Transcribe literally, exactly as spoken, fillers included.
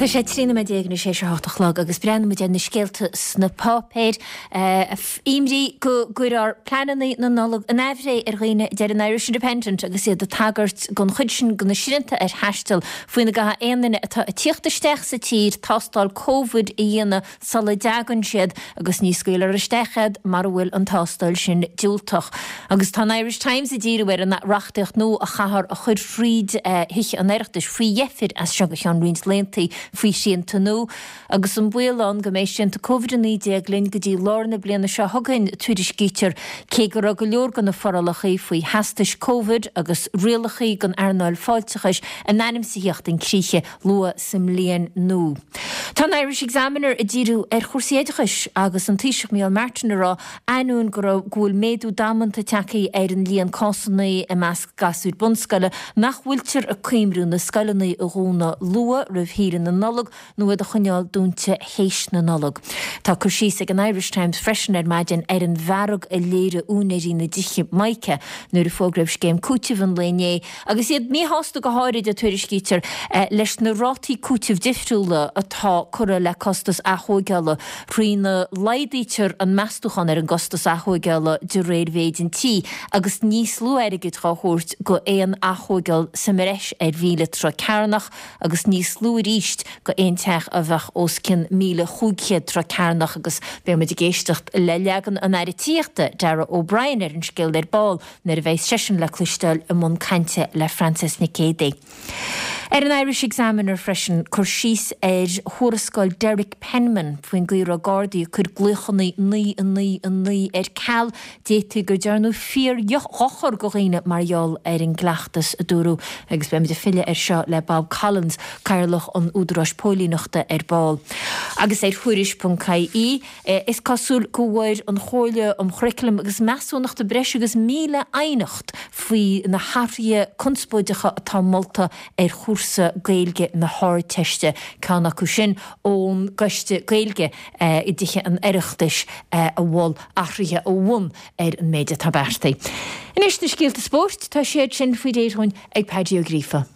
Tá sé trí nóiméad déag tar éis a hocht a chlog agus breathnaímid ar na scéalta sna páipéir. Imní go gcuirfear pleananna na Nollag in aimhréidh ar dhaoine deir an Irish Independent agus iad ag tagairt don chuid sin de na srianta ar thaisteal faoina gcaithfidh aon duine atá ag tíocht isteach sa tír tástáil COVID a dhéanamh sula dtagann siad agus ní scaoilfear isteach iad mura bhfuil an tástáil sin diúltach. Agus tá an Irish Times ag díriú ar an reachtaíocht nua a chaithfear a chur fríd Thithe an Oireachtais faoi dheifir as seo go ceann roinnt laethanta faoi shrianta nua, agus an baol ann go mbeidh srianta Covid a naoi déag linn go dtí lár na bliana seo chugainn, tuairiscítear, cé go raibh go leor de na forálacha faoi theastais Covid agus rialacha don earnáil fáilteachais in ainm is a thíocht chun críche luath sa mbliain nua. Tá an Irish Examiner ag díriú ar chúrsaí oideachais agus an Taoiseach Micheál Martin ag rá ainneoin go raibh go bhfuil méadú damanta tagtha ar an líon cásanna i measc gasúir bunscoile nach bhfuiltear ag cuimriú na scoileanna a dhúnadh luath roimh shaoire na Nollag nó iad a choinneáil dúnta théis na Nollag. Tá cur síos ag an Irish Times freisin ar maidin ar an bhfearg a léirigh úinéirí na dtithe Mica nuair a fógraíodh scéim cúitimh an lae inné agus iad míshásta go háirid a tuairiscítear leis na rátaí cúitimh difriúla atá curtha le costas athógála trína laghdaítear an meastúchán ar an gcostas athógála de réir mhéid an tí agus níos lú airgid á thabhairt go aon athógáil sa mbreis ar mhíle troigh cearnach agus níos lú arís go aon teach a bheadh os cionn míle chúig chéad troigh cearnach agus beidh muid ag éisteacht le leagan an Aire Tithíochta Darragh O'Brien ar an scéal ar ball nuair a bheidh seisean le cloisteáil i mbun cainte le Frances Nic Géadaigh. Ar an Irish Examiner freisin cur síos ar thuarascáil Derek Penman faoin gcaoi a raibh Gardaí ag cur glaochanna naoi a naoi a naoi ar ceal d'fhéadfaí go ndearnadh fíordhochar do dhaoine mar gheall ar an gcleachtas a dúradh agus beimid ag filleadh ar seo le Bob Collins, Cathaoirleach an Údaráis Póilíneachta ar ball. Agus ar Thuairisc.ie is cosúil go bhfuair an Chomhairle um Churaclam agus Measúnachta breis agus míle aighneacht faoi na hathruithe conspóideacha atá molta ar chúrsa Gaeilge na hArdteiste, ceann acu sin ón gCoiste Gaeilge i dTithe an Oireachtais a mhol athruithe ó bhun ar an méid atá beartaithe. Anois na scéalta spóirt tá siad sin faoi réir ag Paddy Ó Gríofa.